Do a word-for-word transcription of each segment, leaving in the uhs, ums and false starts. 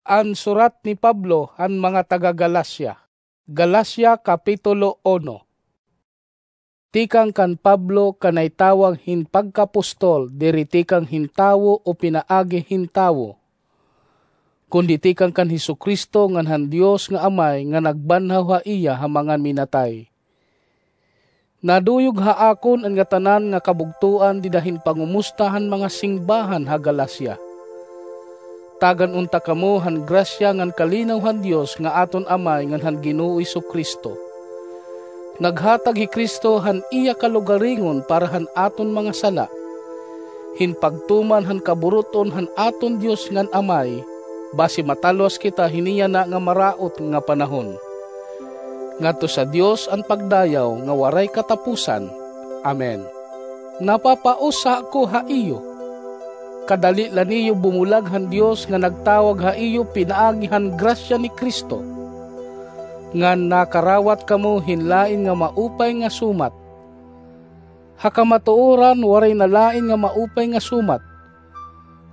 An surat ni Pablo han mga taga-Galacia. Galacia, Kapitulo uno. Tikang kan Pablo, kanay tawag hin pagkapostol, diri tikang hin tawo o pinaagi hin tawo, kundi tikang kan Jesu-Cristo ngan han Dios nga Amay nga nagbanhaw ha iya ha mga minatay. Naduyog ha akon an ngatanan nga kabugtoan dida hin pangumusta han mga singbahan ha Galacia. Tagan unta kamo han grasya ngan kalinaw han Dios nga aton Amay ngan han Ginoo Jesu-Cristo. Naghatag hi Cristo han iya kalugaringon para han aton mga sala, hin pagtuman han kaburut-on han aton Dios ngan Amay, basi matalwas kita hini yana nga maraot nga panahon. Ngadto sa Dios an pagdayaw nga waray katapusan. Amen. Napapausa ako ha iyo. Kadali la niyo bumulag han Dios nga nagtawag ha iyo pinaagi han grasya ni Cristo, ngan nakarawat kamo hin lain nga maupay nga sumat. Ha kamatuoran, waray na lain nga maupay nga sumat,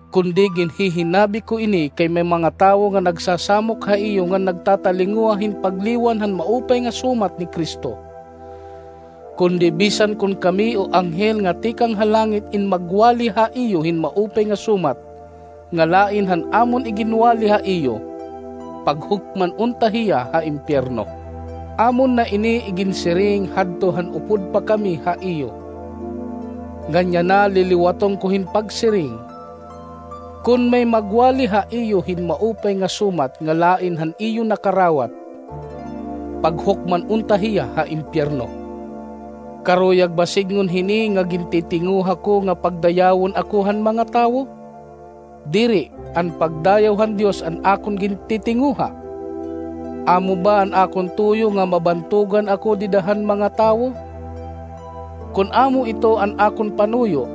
kundi ginhihinabi ko ini kay may mga tawo nga nagsasamok ha iyo ngan nagtatalinguha hin pagliwan han maupay nga sumat ni Cristo. Kundi bisan kon kami o anghel nga tikang ha langit in magwali ha iyo hin maupay nga sumat nga lain han amon iginwali ha iyo, paghukman unta hiya ha impyerno. Amon na ini iginsiring hadto han upod pa kami ha iyo. Ngan yana liliwaton ko hin pagsiring, kon may magwali ha iyo hin maupay nga sumat nga lain han iyo nakarawat, paghukman unta hiya ha impyerno. Karuyag ba sidngon hini nga gintitinguha ko nga pagdayawon ako han mga tawo? Diri, an pagdayaw han Dios an akon gintitinguha. Amo ba an akon tuyo nga mabantogan ako dida han mga tawo? Kon amo ito an akon panuyo,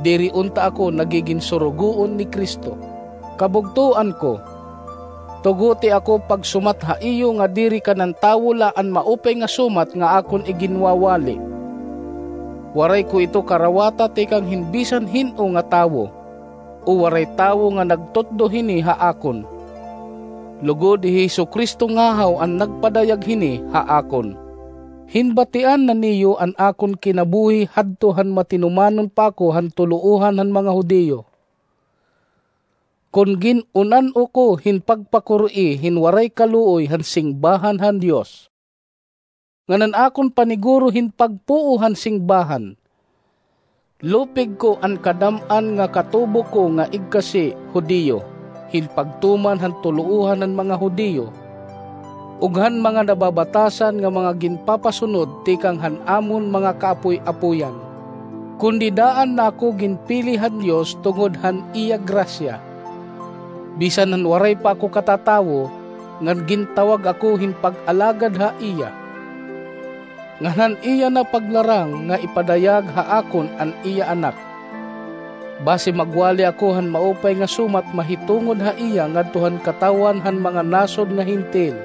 diri unta ako nagigin surugoon ni Cristo. Kabugtoan ko, tuguti ako pagsumat ha iyo nga diri kanan tawo la an maupay nga sumat nga akon iginwawali. Waray ko ito karawata tikang hin bisan hin-o nga tawo, o waray tawo nga nagtutdo hini ha akon. Lugod hi Jesu-Cristo ngahaw an nagpadayag hini ha akon. Hinbatian na niyo an akon kinabuhi hadto han matinumanon pa ako han tuloohan han mga Judio. Kon gin-unan-o ko hin pagpakuri hin waray kaluoy han singbahan han Dios, ngan an akon paniguro hin pagpuo han singbahan, lupig ko an kadam-an nga katubo ko nga igkasi Judio, hin pagtuman han tuloohan han mga Judio, ug han mga nababatasan nga mga ginpapasunod tikang han amon mga kaapoy-apoyan. Kundi daan na ako ginpili han Dios tungod han iya grasya. Bisan han waray pa ako katatawo, ngan gintawag ako hin pag-alagad ha iya. Ngan han iya na paglarang nga ipadayag ha akon an iya Anak, basi magwali ako han maupay nga sumat mahitungod ha iya ngadto han katawhan han mga nasod nga Hentil.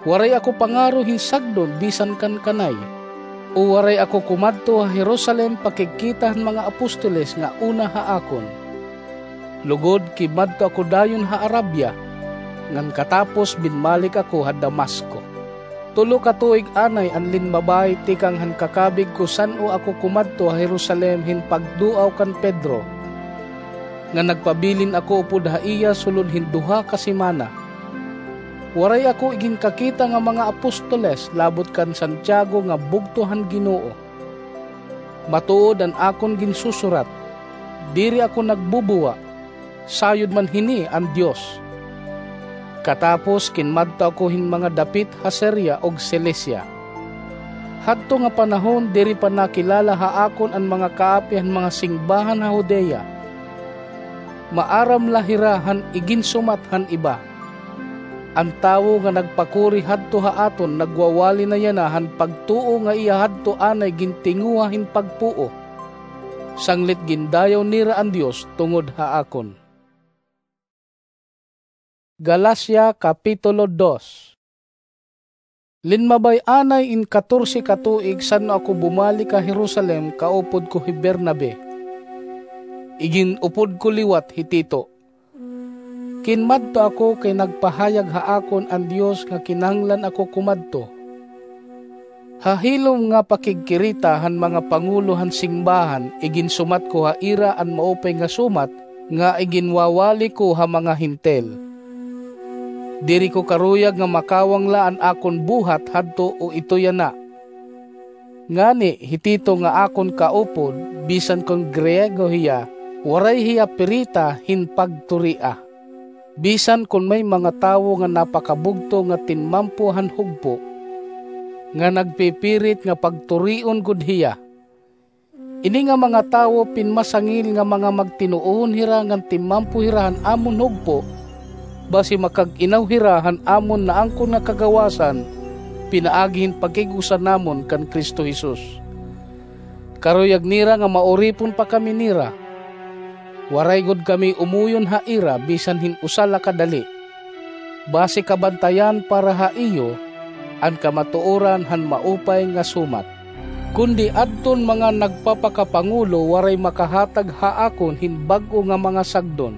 Waray ako pangaro hin sagdon bisan kan kanay, o waray ako kumadto ha Jerusalem pakigkita han mga apostoles nga una ha akon. Lugod, kinmadto ako dayon ha Arabia, ngan katapos binmalik ako ha Damasco. Tulo ka tuig anay an linmabay tikang han kakabig ko san-o ako kumadto ha Jerusalem hin pagduaw kan Pedro, ngan nagpabilin ako upod ha iya sulod hin duha ka semana. Waray ako iginkakita nga mga apostoles labot kan Santiago nga bugto han Ginoo. Matuod an akon ginsusurat, diri ako nagbubuwa, sayod man hini an Dios. Katapos kinmadto ako hin mga dapit ha Siria ug Cilicia. Hadto nga panahon diri pa nakilala ha akon an mga kaapi han mga singbahan ha Judea. Maaram la hira han iginsumat han iba. An tawo nga nagpakuri hadto ha aton nagwawali na yana han pagtuo nga iya hadto anay gintinguha hin pagpuo, sanglit gindayaw nira an Dios tungod ha akon. Galacia, Kapitulo dos. Linmabay anay in katorse ka tuig san-o ako bumalik ha Jerusalem kaupod ko hi Bernabe. Igin-upod ko liwat hi Tito. Ginmadto ako kay nagpahayag ha akon an Dios nga kinahanglan ako kumadto. Ha hilom nga pakigkirita han mga pangulo han simbahan, iginsumat ko ha ira an maupay nga sumat nga iginwawali ko ha mga Hentil. Diri ko karuyag nga makawang la an akon buhat hadto o ito yana. Ngani hi Tito nga akon kaupod, bisan kon Griego hiya, waray hiya pirita hin pagturia. Bisan kon may mga tawo nga napakabugto nga tinmampo han hugpo, nga nagpipirit nga pagturion gud hiya. Ini nga mga tawo pinmasangil nga mga magtinuohon hira ngan tinmampo hira han amon hugpo, basi makag-inaw hira han amon naangkon nga kagawasan, pinaagi hin pakig-usa namon kan Cristo Jesus. Karuyag nira nga mauripon pa kami nira. Waray gud kami umuyon ha ira bisan hin usa la ka dali. Basi kabantayan para ha iyo an kamatuoran han maupay nga sumat. Kundi adton mga nagpapakapangulo waray makahatag ha akon hin bag-o nga mga sagdon.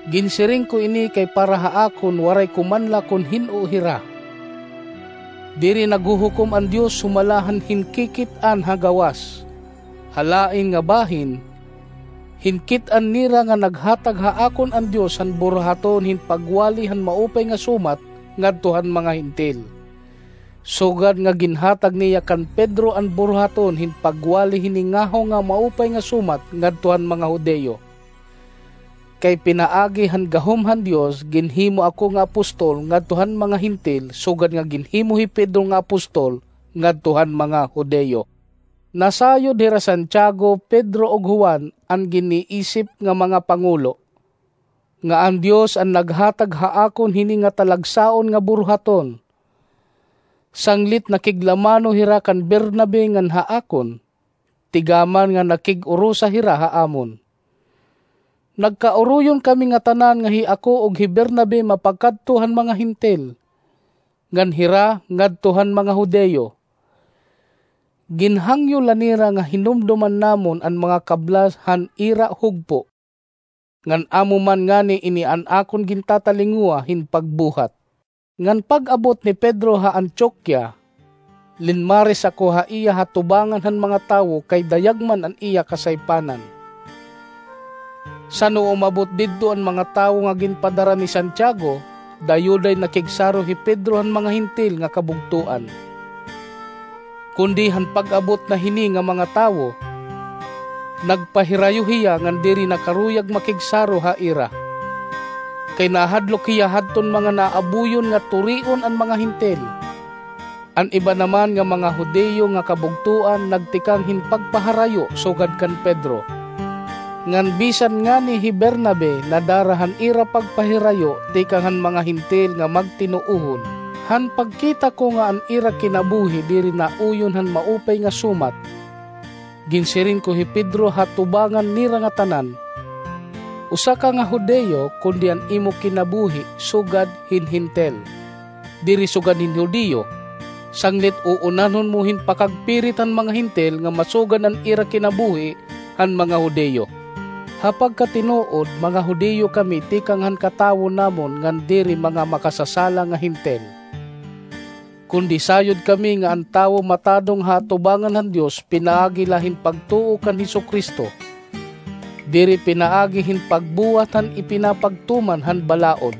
Ginsiring ko ini kay para ha akon waray ko man la kon hin-o hira. Diri naghuhukom an Dios sumala han hinkikit-an ha gawas. Ha lain nga bahin, hinkit-an nira nga naghatag ha akon an Dios han buruhaton hin pagwali han maupay nga sumat ngadto han mga Hentil. Sugad nga ginhatag niya kan Pedro an buruhaton hin pagwali hini ngahaw nga maupay nga sumat ngadto han mga Judio. Kay pinaagi han gahom han Dios, ginhimo ako nga apostol ngadto han mga Hentil, sugad nga ginhimo hi Pedro nga apostol ngadto han mga Judio. Nasayod hira Santiago, Pedro, ug Juan an giniisip nga mga pangulo, nga an Dios an naghatag ha akon hini nga talagsaon nga buruhaton. Sanglit nakiglamano hira kan Bernabe ngan ha akon, tigaman nga nakig-urusa hira ha amon. Nagkauruyon kami ngatanan nga hi ako ug hi Bernabe mapakadto han mga Hentil, ngan hira ngadto han mga Judio. Ginhangyo la nira nga hinumdoman namon an mga kablas han ira hugpo, ngan amo man ngani ini an akon gintatalinguha hin pagbuhat. Ngan pag-abot ni Pedro ha Antioquia, linmaris ako ha iya ha tubangan han mga tawo kay dayag man an iya kasaypanan. San-o umabot didto an mga tawo nga ginpadara ni Santiago, dayuday nakigsaro hi Pedro han mga Hentil nga kabugtoan. Kundi han pag-abot na hini nga mga tawo, nagpahirayo hiya ngan diri na karuyag makigsaro ha ira. Kay nahadlok hiya hadton mga naabuyon nga turion an mga Hentil. An iba naman nga mga Judio nga kabugtoan nagtikang hin pagpaharayo sugad kan Pedro. Ngan bisan ngani hi Bernabe nadara han ira pagpahirayo tikang han mga Hentil nga magtinuohon. Han pagkita ko nga an ira kinabuhi diri nauyon han maupay nga sumat, ginsiring ko hi Pedro ha tubangan nira ngatanan, "Usa ka nga Judio, kundi an imo kinabuhi sugad hin Hentil." Diri sugad hin Judio, sanglit uunahon mo hin pakagpirit han mga Hentil nga masugad an ira kinabuhi han mga Judio. Ha pagkatinuod, mga Judio kami tikang han katawo namon ngan diri mga makasasala nga Hentil. Kundi sayod kami nga an tawo matadong ha atubangan han Dios pinaagi la hin pagtuo kan Jesu-Cristo, diri pinaagi hin pagbuhat han ipinapagtuman han balaod.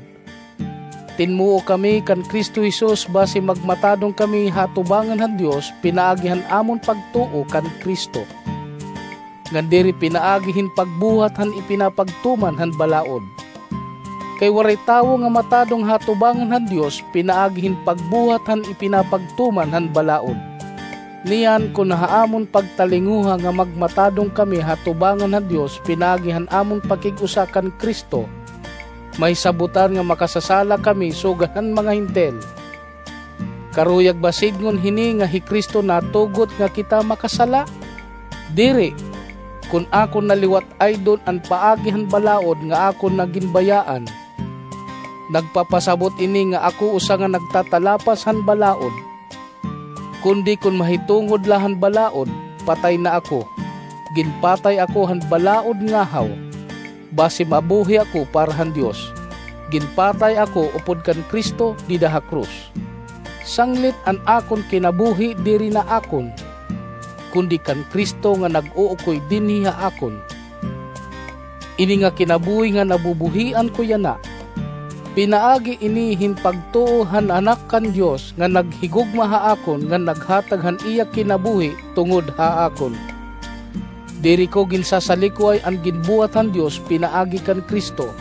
Tinmuo kami kan Cristo Jesus basi magmatadong kami ha atubangan han Dios pinaagi han amon pagtuo kan Cristo, ngan diri pinaagi hin pagbuhat han ipinapagtuman han balaod. Kay waray tawo nga matadong ha atubangan han Dios pinaagi hin pagbuhat han ipinapagtuman han balaod. Niyan, kon ha amon pagtalinguha nga magmatadong kami ha atubangan han Dios pinaagi han amon pakig-usa kan Cristo, mahisabotan nga makasasala kami sugad han mga Hentil. Karuyag ba sidngon hini nga hi Cristo natugot nga kita makasala? Diri! Kon akon naliwat-aydon an paagi han balaod nga akon na ginbayaan, nagpapasabot ini nga ako usa nga nagtatalapas han balaod. Kundi kon mahitungod la han balaod, patay na ako. Ginpatay ako han balaod ngahaw. Basi mabuhi ako para han Dios. Ginpatay ako upod kan Cristo dida ha krus. Sanglit an akon kinabuhi diri na akon, kundi kan Cristo nga nag-uukoy dinhi ha akon. Ini nga kinabuhi nga nabubuhian ko yana, pinaagi ini hin pagtuo han Anak kan Dios nga naghigugma ha akon ngan naghatag han iya kinabuhi tungod ha akon. Diri ko ginsasalikway an ginbuhat han Dios pinaagi kan Cristo.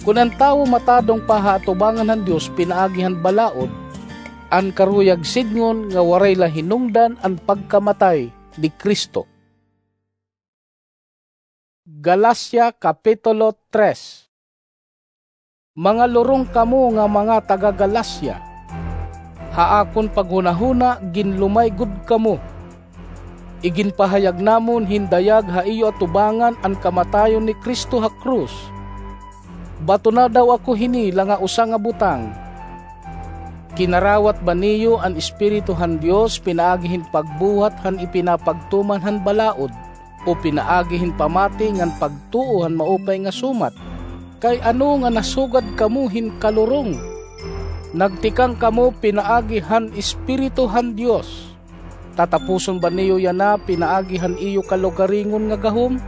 Kon an tawo matadong pa ha atubangan han Dios pinaagi han balaod, an karuyag sidngon nga waray la hinungdan an pagkamatay ni Cristo. Galacia Kapitulo tres. Mga lurong kamo nga mga taga-Galacia! Ha akon paghunahuna, ginlumay gud kamo. Iginpahayag namon hin dayag ha iyo atubangan an kamatayon ni Cristo ha krus. Bato na daw ako hini la nga usa nga butang. Kinarawat ba niyo an Espiritu han Dios pinaagi hin pagbuhat han ipinapagtuman han balaod, o pinaagi hin pamati ngan pagtuo han maupay nga sumat? Kay ano nga nasugad kamo hin kalurong? Nagtikang kamo pinaagi han Espiritu han Dios. Tatapuson ba niyo yana pinaagi han iyo kalugaringon nga gahom?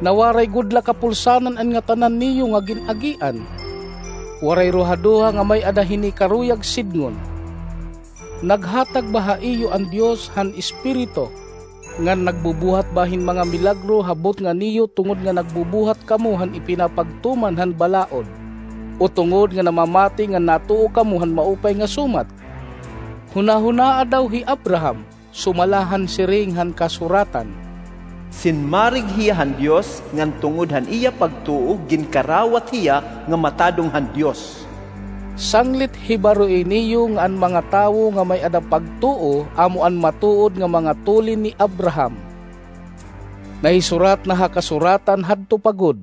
Nawaray gud la kapulsanan an ngatanan niyo nga gin-agian. Waray ruhaduha nga may-ada hini karuyag sidngon. Naghatag ba ha iyo an Dios han Espiritu, ngan nagbubuhat ba hin mga milagro ha butnga niyo tungod nga nagbubuhat kamo han ipinapagtuman han balaod, o tungod nga namamati ngan natuo kamo han maupay nga sumat? Hunahunaa daw hi Abraham, sumala han siring han Kasuratan, "Sinmarig hiya han Dios, ngan tungod han iya pagtuo ginkarawat hiya nga matadong han Dios." Sanglit hibaroi niyo nga an mga tawo nga may-ada pagtuo amo an matuod nga mga tulin ni Abraham. Nahisurat na ha Kasuratan hadto pa gud,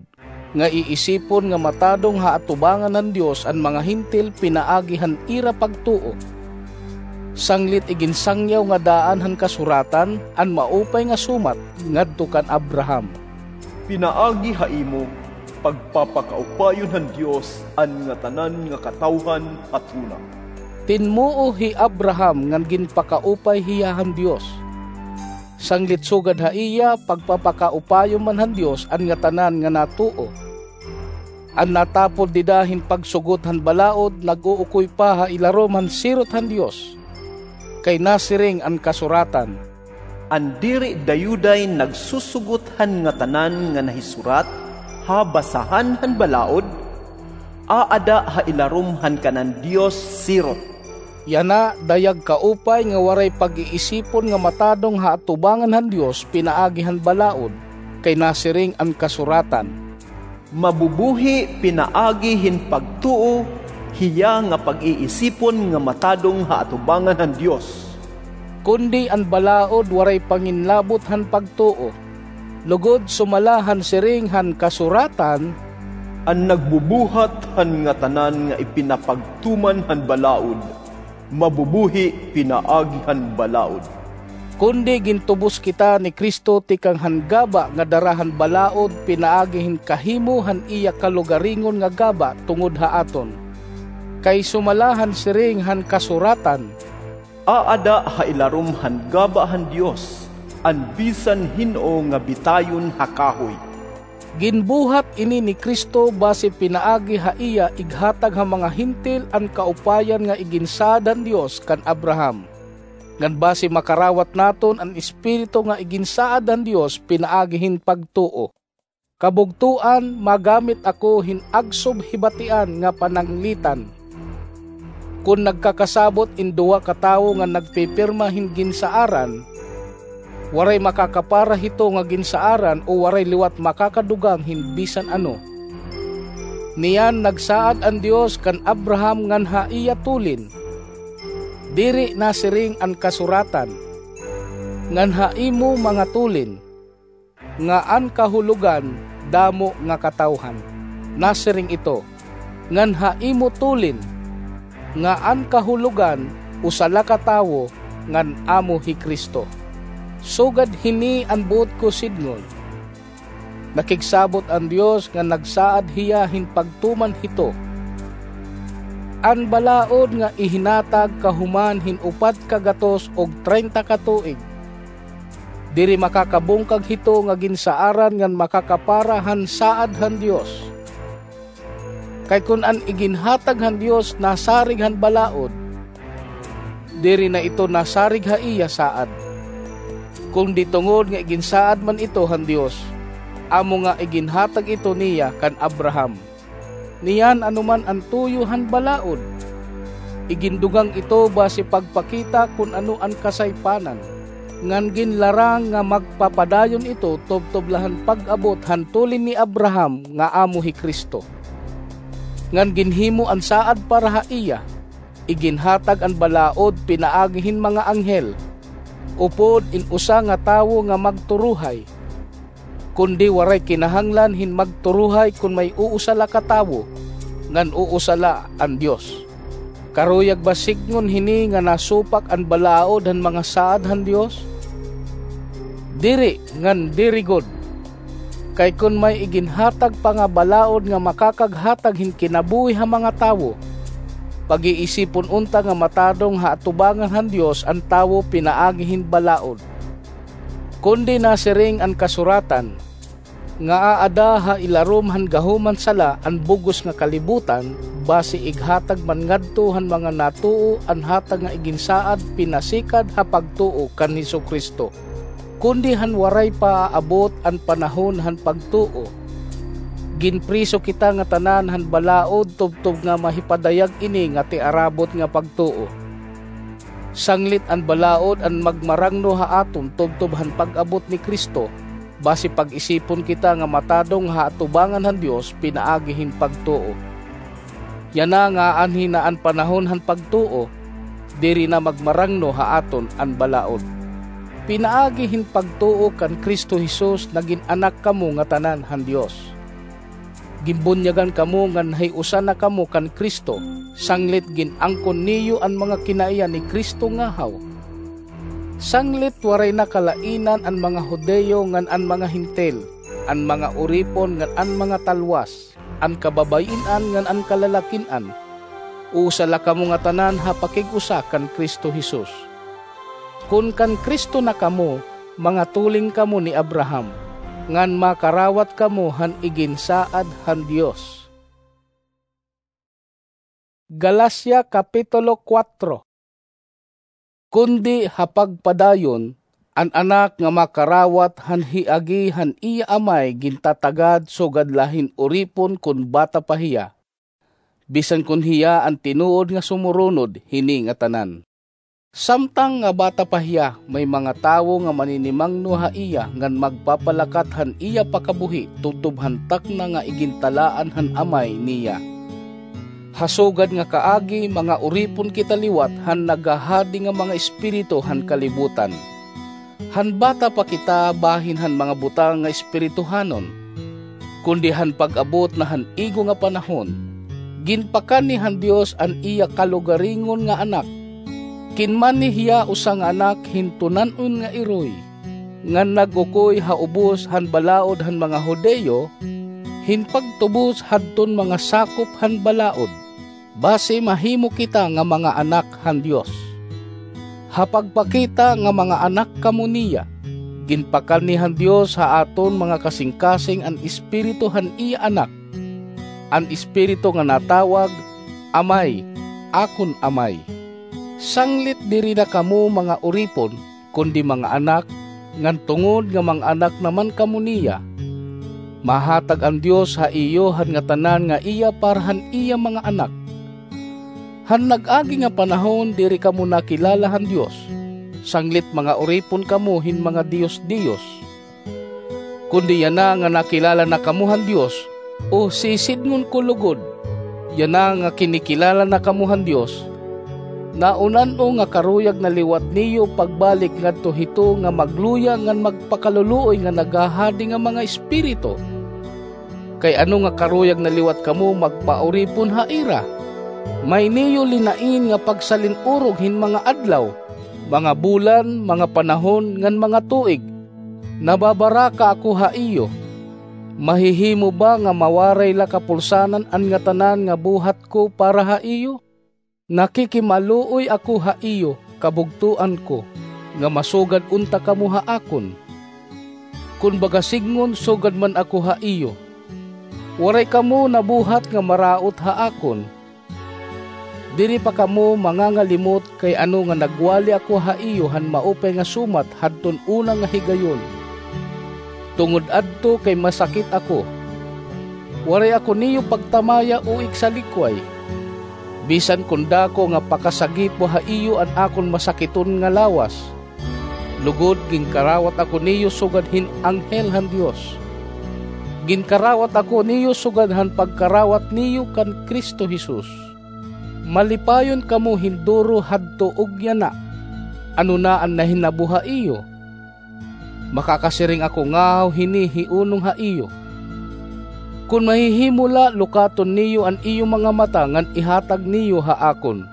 nga iisipon nga matadong ha atubangan han Dios an mga Hentil pinaagi han ira pagtuo. Sanglit iginsangyaw nga daan han Kasuratan an maupay nga sumat ngadto kan Abraham, "Pinaagi ha imo, pagpapakaupayon han Dios an ngatanan nga katawhan hatuna." Tinmuo hi Abraham ngan ginpakaupay hiya han Dios. Sanglit sugad ha iya, pagpapakaupayon man han Dios an ngatanan nga natuo. An natapod dida hin pagsugot han balaod nag-uukoy pa ha ilarom han sirot han Dios. Kay nasiring an Kasuratan, "An diri dayuday nagsusugot han ngatanan nga nahisurat ha basahan han balaod, aada ha ilarom han kanan Dios sirot." Yana dayag kaupay nga waray pag-iisipon nga matadong ha atubangan han Dios pinaagi han balaod, kay nasiring an Kasuratan, "Mabubuhi pinaagi hin pagtuo hiya nga pag-iisipon nga matadong ha atubangan han Dios." Kundi an balaod waray panginlabot han pagtuo, lugod sumala han siring han Kasuratan, "An nagbubuhat han ngatanan nga ipinapagtuman han balaod, mabubuhi pinaagi han balaod." Kundi gintubos kita ni Cristo tikang han gaba nga dara han balaod pinaagi hin kahimo han iya kalugaringon nga gaba tungod ha aton. Kay sumala han siring han Kasuratan, "Aada ha ilarom han gaba han Dios an bisan hin-o nga bitayon ha kahoy." Ginbuhat ini ni Cristo basi pinaagi ha iya ighatag ha mga Hentil an kaupayan nga iginsaad han Dios kan Abraham, ngan basi makarawat naton an Espiritu nga iginsaad han Dios pinaagi hin pagtuo. Kabugtoan, magamit ako hin agsob hibatian nga pananglitan. Kon nagkakasabot in duha ka tawo nga nagpipirma hin ginsaaran, waray makakapara hito nga ginsaaran o waray liwat makakadugang hin bisan ano. Niyan nagsaad an Dios kan Abraham ngan ha iya tulin. Diri nasiring an Kasuratan, "Ngan ha imo mga tulin," nga an kahulogan damo nga katawhan. Nasiring ito, "Ngan ha imo tulin," nga an kahulogan usa la ka tawo, ngan amo hi Cristo. Sugad hini an buot ko sidngon. Nakigsabot an Dios nga nagsaad hiya hin pagtuman hito. An balaod nga ihinatag kahuman hin upat ka gatos ug treinta ka tuig. Diri makakabungkag hito nga ginsaaran ngan makakapara han saad han Dios. Kay kon an iginhatag han Dios nasarig han balaod, diri na ito nasarig ha iya saad. Kundi tungod nga iginsaad man ito han Dios, amo nga iginhatag ito niya kan Abraham. Niyan ano man an tuyo han balaod, igindugang ito basi pagpakita kon ano an kasaypanan, ngan ginlarang nga magpapadayon ito tubtob la han pag-abot han tulin ni Abraham nga amo hi Cristo. Ngan ginhimo an saad para ha iya, iginhatag an balaod pinaagi hin mga anghel, upod in usa nga tawo nga magturuhay. Kundi waray kinahanglan hin magturuhay kon may usa la ka tawo, ngan usa la an Dios. Karuyag ba sidngon hini nga nasupak an balaod han mga saad han Dios? Diri ngan diri gud. Kay kon may iginhatag pa nga balaod nga makakaghatag hin kinabuhi ha mga tawo, pag-iisipon unta nga matadong ha atubangan han Dios an tawo pinaagi hin balaod. Kundi nasiring an kasuratan, nga aada ha ilarom han gahom han sala an bug-os nga kalibutan, basi ighatag man ngadto han mga natuo an hatag nga iginsaad pinasikad ha pagtuo kan Jesu-Cristo. Kundi han waray pa aabot an panahon han pagtuo, ginpriso kita ngatanan han balaod tubtob nga mahipadayag ini nga tiarabot nga pagtuo. Sanglit an balaod an magmarangno ha aton tubtob han pag-abot ni Cristo, basi pag-isipon kita nga matadong ha atubangan han Dios pinaagi hin pagtuo. Yana nga aanhi na an panahon han pagtuo, diri na magmarangno ha aton an balaod. Pinaagi hin pagtuo kan Cristo Jesus nagin anak kamo ngatanan han Dios. Ginbunyagan kamo ngan hiusa na kamo kan Cristo, sanglit gin-angkon niyo an mga kinaiya ni Cristo ngahaw. Sanglit waray na kalainan an mga Judio ngan an mga Hentil, an mga uripon ngan an mga talwas, an kababay-an ngan an kalalakin-an. Usa la kamo ngatanan ha pakig-usa kan Cristo Jesus. Kon kan Cristo na kamo, mga tuling kamo ni Abraham, ngan makarawat kamo han iginsaad han Dios. Galacia Kapitulo kuwatro. Kundi ha pagpadayon, an anak nga makarawat han hiagi han iya amay gintatagad sugad la hin uripon kon bata pa hiya, bisan kon hiya an tinuod nga sumurunod hini ngatanan. Samtang nga bata pa hiya, may mga tawo nga maninimangno ha iya ngan magpapalakat han iya pakabuhi tubtob han takna nga igintalaan han amay niya. Ha sugad nga kaagi, mga uripon kita liwat han naghahadi nga mga espiritu han kalibutan. Han bata pa kita bahin han mga butang nga espirituhanon. Kundi han pag-abot na han igo nga panahon, ginpakanhi han Dios an iya kalugaringon nga Anak. Kinmanhi hiya usa nga anak hin tunan-on nga iroy, ngan nag-ukoy ha ubos han balaod han mga Judio, hin pagtubos hadton mga sakop han balaod, basi mahimo kita nga mga anak han Dios. Ha pagpakita nga mga anak kamo niya, ginpakanhi han Dios ha aton mga kasingkasing an Espiritu han iya Anak, an Espiritu nga natawag, "Amay, akon Amay." Sanglit diri na kamo mga uripon, kundi mga anak, ngan tungod nga mga anak naman kamo niya, mahatag an Dios ha iyo han ngatanan nga iya para han iya mga anak. Han nag-agi nga panahon diri kamo nakilala han Dios, sanglit mga uripon kamo hin mga diyos-diyos. Kundi yana nga nakilala na kamo han Dios, o sisidngon ko lugod, yana nga kinikilala na kamo han Dios, naunan-o nga karuyag na liwat niyo pagbalik ngadto hito nga magluya ngan magpakaluluoy nga naghahadi nga mga espiritu. Kay ano nga karuyag na liwat kamo magpauripon ha ira? May niyo linain nga pagsalin-urog hin mga adlaw, mga bulan, mga panahon, ngan mga tuig. Nababaraka ako ha iyo. Mahihimo ba nga mawaray la kapulsanan an ngatanan nga buhat ko para ha iyo? Nakikimaluoy ako ha iyo, kabugtoan ko, nga masugad unta kamo ha akon. Kon baga sidngon, sugad man ako ha iyo. Waray kamo nabuhat nga maraot ha akon. Diri pa kamo mangangalimot kay ano nga nagwali ako ha iyo han maupay nga sumat hadton una nga higayon. Tungod adto kay masakit ako. Waray ako niyo pagtamaya o igsalikway. Bisan kon dako nga pakasagipo ha iyo an akon masakiton nga lawas, lugod ginkarawat ako niyo sugad hin anghel han Dios. Ginkarawat ako niyo sugad han pagkarawat niyo kan Cristo Jesus. Malipayon kamo hin duro hadto ug yana. Ano na an nahinabo ha iyo? Makakasiring ako ngahaw hini hiunong ha iyo. Kon mahihimo la, lukaton niyo an iyo mga mata ngan ihatag niyo ha akon.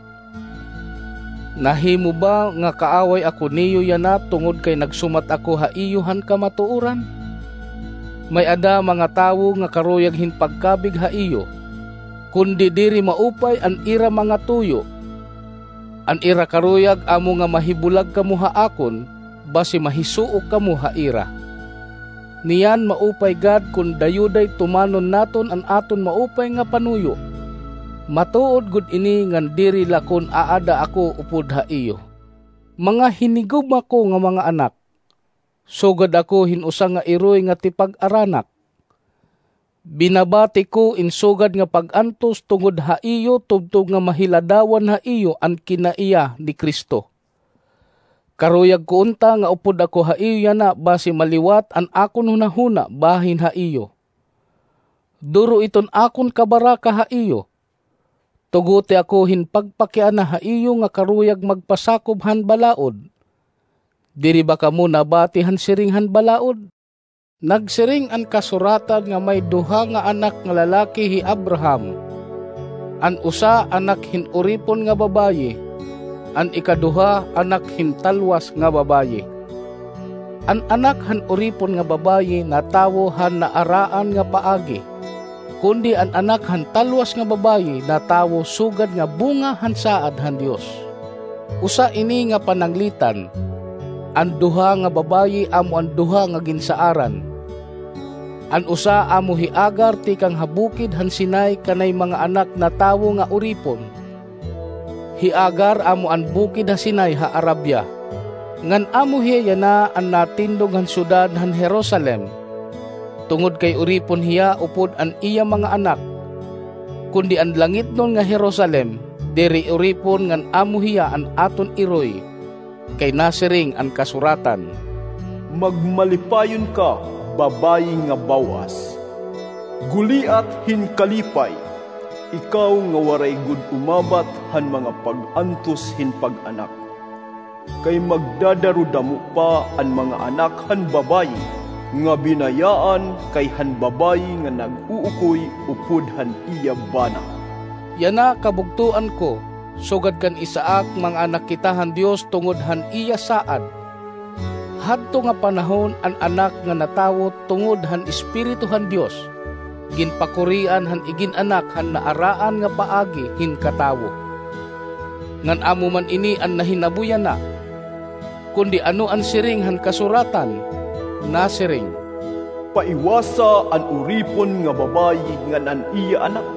Nahimo ba nga kaaway ako niyo yana tungod kay nagsumat ako ha iyo han kamatuoran? May-ada mga tawo nga karuyag hin pagkabig ha iyo, kundi diri maupay an ira mga tuyo. An ira karuyag amo nga mahibulag kamo ha akon, basi mahisuok kamo ha ira. Niyan maupay gad kon dayuday tumanon naton an aton maupay nga panuyo. Matuod gud ini ngan diri la kon aada ako upod ha iyo. Mga hinigugma ko nga mga anak, sugad ako hin usa nga iroy nga tipag-aranak. Binabati ko in sugad nga pag-antos tungod ha iyo tubtob nga mahiladawan ha iyo an kinaiya ni Cristo. Karuyag ko unta nga upod ako ha iyo yana basi maliwat an akon hunahuna bahin ha iyo. Duro iton akon kabaraka ha iyo. Tuguti ako hin pagpakiana ha iyo nga karuyag magpasakob han balaod. Diri ba kamo nabati han siring han balaod? Nagsiring an kasuratan nga may duha nga anak nga lalaki hi Abraham. An usa anak hin uripon nga babayi, an ikaduha anak hin talwas nga babayi. An anak han uripon nga babayi natawo han naaraan nga paagi, kundi an anak han talwas nga babayi natawo sugad nga bunga han saad han Dios. Usa ini nga pananglitan, an duha nga babayi amo an duha nga ginsaaran. An usa amo hi Agar tikang ha bukid han Sinai kanay mga anak natawo nga uripon. Hi Agar amo an bukid ha Sinai ha Arabia. Ngan amo hiya yana an natindog han syudad han Jerusalem, tungod kay uripon hiya upod an iya mga anak. Kundi an langitnon nga Jerusalem, diri uripon ngan amo hiya an aton iroy, kay nasiring an kasuratan, "Magmalipayon ka, babayi nga baw-as. Guliat hin kalipay, ikaw nga waray gud umabat han mga pag-antos hin pag-anak. Kay magdadarudamo pa an mga anak han babayi nga binayaan kay han babayi nga nag-uukoy upod han iya bana." Yana kabugtoan ko, sugad kan Isaac, manganak kita han Dios tungod han iya saad. Hadto nga panahon an Anak nga natawo tungod han Espiritu han Dios, ginpakurian han igin-anak han naaraan nga paagi hin katawo. Ngan amo man ini an nahinabo yana. Kundi ano an siring han kasuratan? Nasiring, "Paiwasa an uripon nga babayi ngan an iya anak,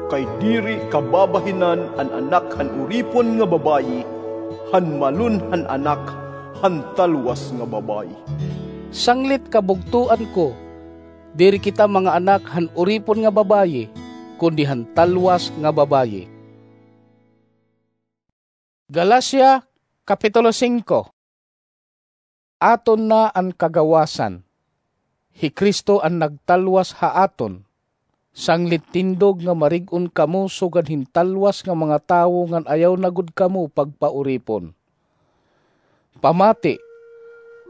kay diri kababahinan an anak han uripon nga babayi han malon han anak han talwas nga babayi." Sanglit kabugtoan ko, diri kita mga anak han uripon nga babayi, kundi han talwas nga babayi. Galacia, Kapitulo singko. Aton na an kagawasan. Hi Cristo an nagtalwas ha aton. Sanglit tindog nga marig-on kamo sugad hin talwas nga mga tawo ngan ayaw na gud kamo pagpauripon. Pamati,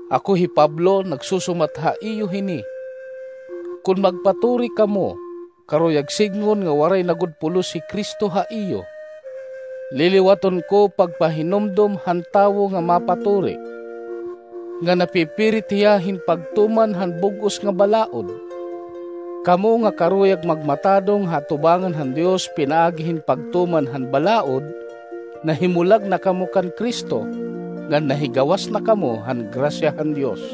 ako hi Pablo nagsusumat ha iyo hini. Kon magpaturi kamo, karuyag sidngon nga waray na gud pulos hi Cristo ha iyo. Liliwaton ko pagpahinumdom han tawo nga mapaturi, nga napipirit hiya hin pagtuman han bug-os nga balaod. Kamo nga karuyag magmatadong ha atubangan han Dios pinaagi hin pagtuman han balaod, nahimulag na kamo kan Cristo, ngan nahigawas na kamo han grasya han Dios.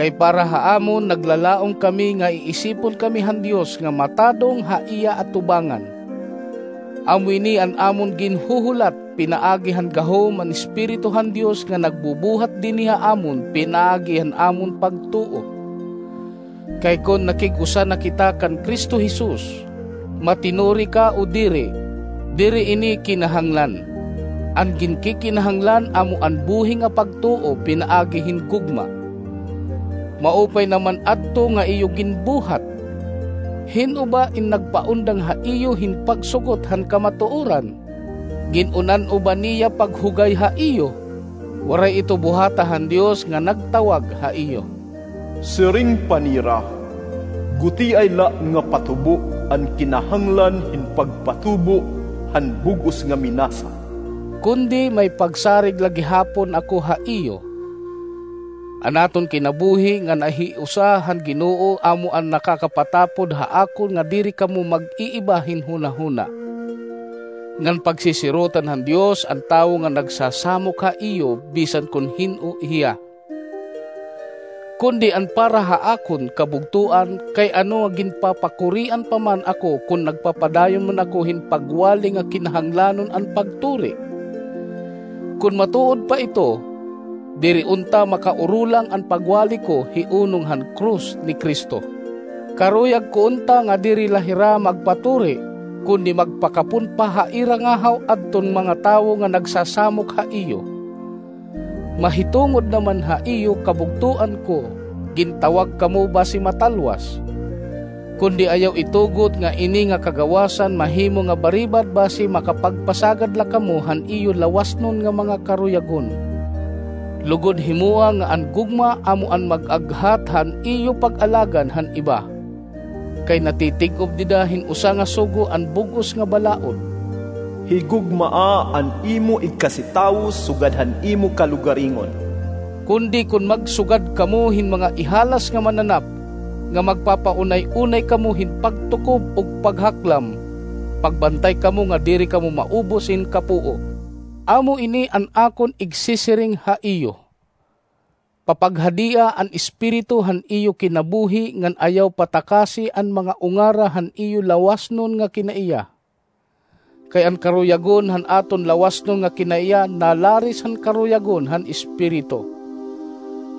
Kay para ha amon, naglalaom kami nga iisipon kami han Dios nga matadong ha iya atubangan. Amo ini an amon ginhuhulat pinaagi han gahom an Espiritu han Dios nga nagbubuhat dinhi ha amon pinaagi han amon pagtuo. Kay kon nakig-usa na kita kan Cristo Jesus, matinuri ka o diri, diri ini kinahanglan. An ginkikinahanglan amo an buhi nga pagtuo pinaagi hin gugma. Maupay naman adto nga iyo ginbuhat. Hin-o ba in nagpaundang ha iyo hin pagsugot han kamatuoran? Gin-unan-o ba niya paghugay ha iyo? Waray ito buhata han Dios nga nagtawag ha iyo. Siring pa nira, gutiay la nga patubo an kinahanglan hin pagpatubo han bug-os nga minasa. Kundi may pagsarig la gihapon ako ha iyo. An aton kinabuhi nga nahiusa han Ginoo amo an nakakapatapod ha akon nga diri kamo mag-iiba hin hunahuna. Ngan pagsisirotan han Dios an tawo nga nagsasamok ha iyo bisan kon hin-o hiya. Kundi an para ha akon kabugtoan, kay ano nga ginpapakurian pa man ako kon nagpapadayon man ako hin pagwali nga kinahanglanon an pagturi? Kon matuod pa ito, diri unta makaurulang an pagwali ko hi unong han krus ni Cristo. Karuyag ko unta nga diri la hira magpaturi, kundi magpakapon pa ha ira ngahaw adton mga tawo nga nagsasamok ha iyo. Mahitungod naman ha iyo kabugtoan ko, gintawag kamo basi matalwas. Kundi ayaw itugot nga ini nga kagawasan mahimo nga baribad basi makapagpasagad la kamo han iyo lawasnon nga mga karuyagon. Lugod himoa nga an gugma amo an mag-aghat han iyo pag-alagan han iba. Kay natitig-ob dida hin usa nga sugo an bug-os nga balaod. Higugmaa an imo igkasitawo sugad han imo kalugaringon. Kundi kon magsugad kamo hin mga ihalas nga mananap, nga magpapaunay-unay kamo hin pagtukob ug paghaklam, pagbantay kamo nga diri kamo maubos hin kapuo. Amo ini an akon igsisiring ha iyo. Papaghadia an espiritu han iyo kinabuhi ngan ayaw patakasi an mga ungara han iyo lawasnon nga kinaiya. Kay an karuyagon han aton lawasnon nga kinaiya nalaris han karuyagon han espiritu.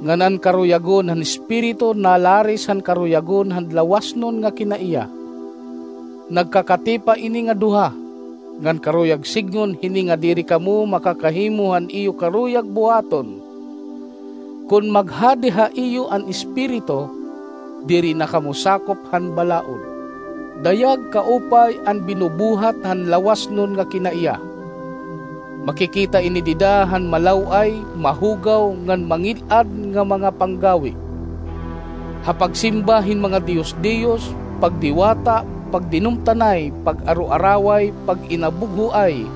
Ngan an karuyagon han espiritu nalaris han karuyagon han lawasnon nga kinaiya. Nagkakatipa ini nga duha, ngan karuyag sidngon hini nga diri kamo makakahimo han iyo karuyag buhaton. Kon maghadi ha iyo an Espiritu, diri na kamo sakop han balaod. Dayag kaupay an binubuhat han lawasnon nga kinaiya. Makikita ini dida han malaw-ay, mahugaw, ngan mangil-ad nga mga panggawi. Ha pagsimba hin mga diyos-diyos, pagdiwata, pagdinumtanay, pag-aroaraway, pag-inabughoay,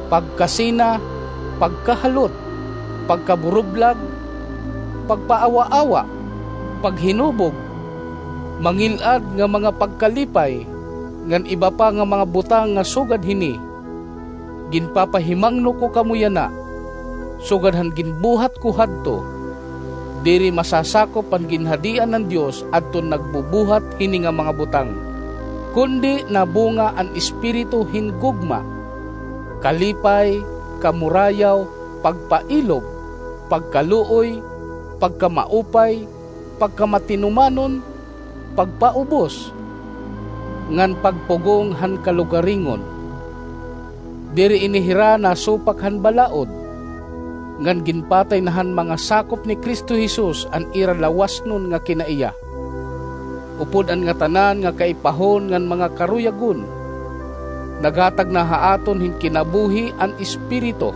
pagkasina, pagkahalot, pagkaburublag, pagpaawaawa, paghinubog, mangil-ad nga mga pagkalipay, ngan iba pa nga mga butang nga sugad hini. Ginpapahimangno ko kamo yana, sugad han ginbuhat ko hadto, diri masasakop an ginhadian han Dios adton nagbubuhat hini nga mga butang. Kundi nabunga an Espiritu hin gugma, kalipay, kamurayaw, pagpailob, pagkaluoy, pagkamaupay, pagkamatinumanon, pagpaubos, ngan pagpugong han kalugaringon. Diri ini hira nasupak han balaod, ngan ginpatay na han mga sakop ni Cristo Jesus an ira lawasnon nga kinaiya. Upod an ngatanan nga kaipahon ngan mga karuyagon, naghatag na ha aton hin kinabuhi an Espiritu.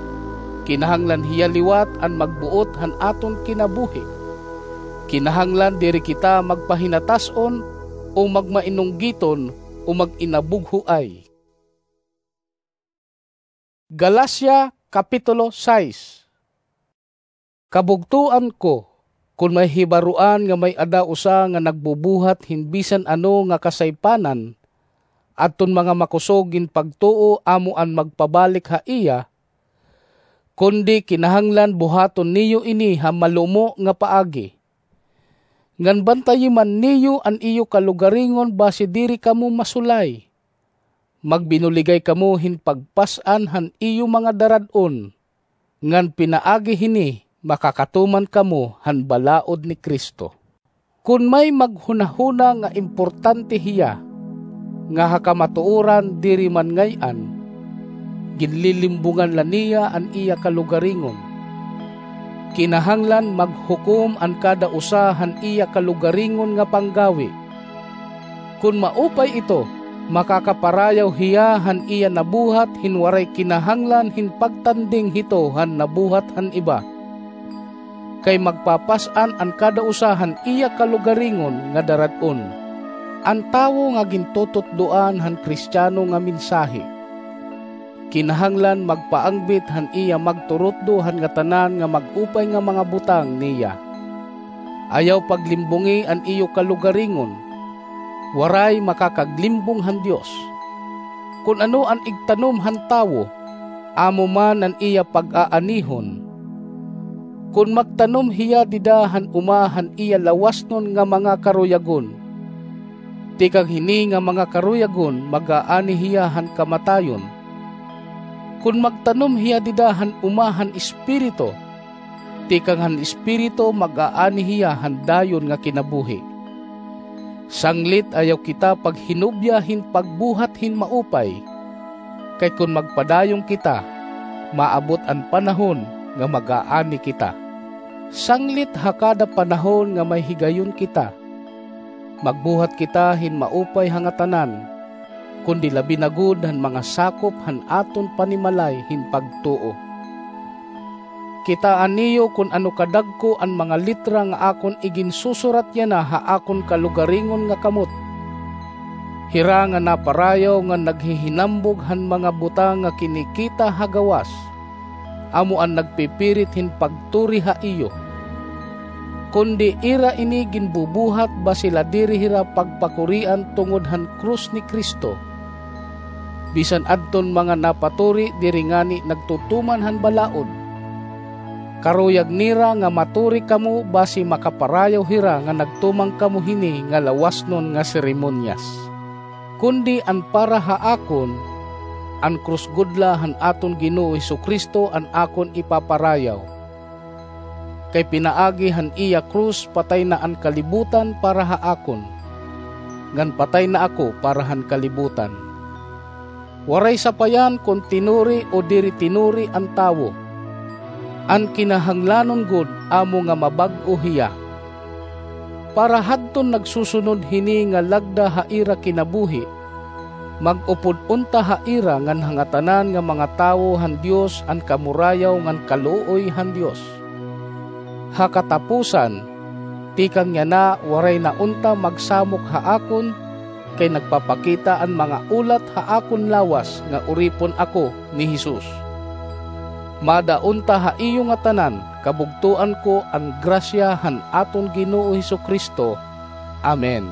Kinahanglan hiya liwat an magbuot han aton kinabuhi. Kinahanglan diri kita magpahinatas-on o magmainunggiton o mag-inabughoay. Galacia, Kapitulo sais. Kabugtoan ko, Kon may hibaruan nga may-ada usa nga nagbubuhat hin bisan ano nga kasaypanan, adton mga makusog gin pagtuo amo an magpabalik ha iya, kundi kinahanglan buhaton niyo ini ha malumo nga paagi. Ngan bantayi man niyo an iyo kalugaringon basi diri kamo masulay. Magbinuligay kamo hin pagpas-an han iyo mga darad-on, ngan pinaagi hini makakatuman kamo han balaod ni Cristo. Kon may maghunahuna nga importante hiya, nga ha kamatuoran diri man ngay-an, ginlilimbungan la niya an iya kalugaringon. Kinahanglan maghukom an kada usa han iya kalugaringon nga panggawi. Kon maupay ito, makakaparayaw hiya han iya nabuhat hin waray kinahanglan hin pagtanding hito han nabuhat han iba. Kay magpapas-an an kada usa han iya kalugaringon nga darad-on. An tawo nga gintututdoan han Kristiano nga mensahe, kinahanglan magpaangbit han iya magturutdo han ngatanan nga mag-upay nga mga butang niya. Ayaw paglimbungi an iyo kalugaringon. Waray makakaglimbong han Dios. Kon ano an igtanom han tawo, amo man an iya pag-aanihon. Kon magtanom hiya dida han uma han iya lawasnon nga mga karuyagon, tikang hini nga mga karuyagon mag-aani hiya han kamatayon. Kon magtanom hiya dida han uma han Espiritu, tikang han Espiritu mag-aani hiya han dayon nga kinabuhi. Sanglit ayaw kita paghinubya hin pagbuhat hin maupay, kay kon magpadayon kita, maabot an panahon nga mag-aani kita. Sanglit ha kada panahon nga may higayon kita, magbuhat kita hin maupay ha ngatanan, kundi labi na gud han mga sakop han aton panimalay hin pagtuo. Kitaa niyo kon ano kadagko an mga litra nga akon iginsusurat yana ha akon kalugaringon nga kamot. Hira nga naparayaw nga naghihinambog han mga butang nga kinikita ha gawas, amo an nagpipirit hin pagturi ha iyo. Kundi ira ini ginbubuhat basi la diri hira pagpakurian tungod han krus ni Cristo. Bisan adton mga napaturi diri ngani nagtutuman han balaod. Karuyag nira nga maturi kamo basi makaparayaw hira nga nagtuman kamo hini nga lawasnon nga seremonyas. Kundi an para ha akon, an krus gud la han aton Ginoo Jesu-Cristo an akon ipaparayaw. Kay pinaagi han iya krus patay na an kalibutan para ha akon, ngan patay na ako para han kalibutan. Waray sapayan kon tinuri o diri tinuri an tawo. An kinahanglanon gud amo nga mabag-o hiya. Para hadton nagsusunod hini nga lagda ha ira kinabuhi, mag-upod unta ha ira ngan ha ngatanan nga mga tawo han Dios an kamurayaw ngan kaluoy han Dios. Ha katapusan, tikang yana waray na unta magsamok ha akon, kay nagpapakita an mga ulat ha akon lawas nga uripon ako ni Jesus. Mada unta ha iyo ngatanan kabugtoan ko an grasya han aton Ginoo Jesu-Cristo. Amen.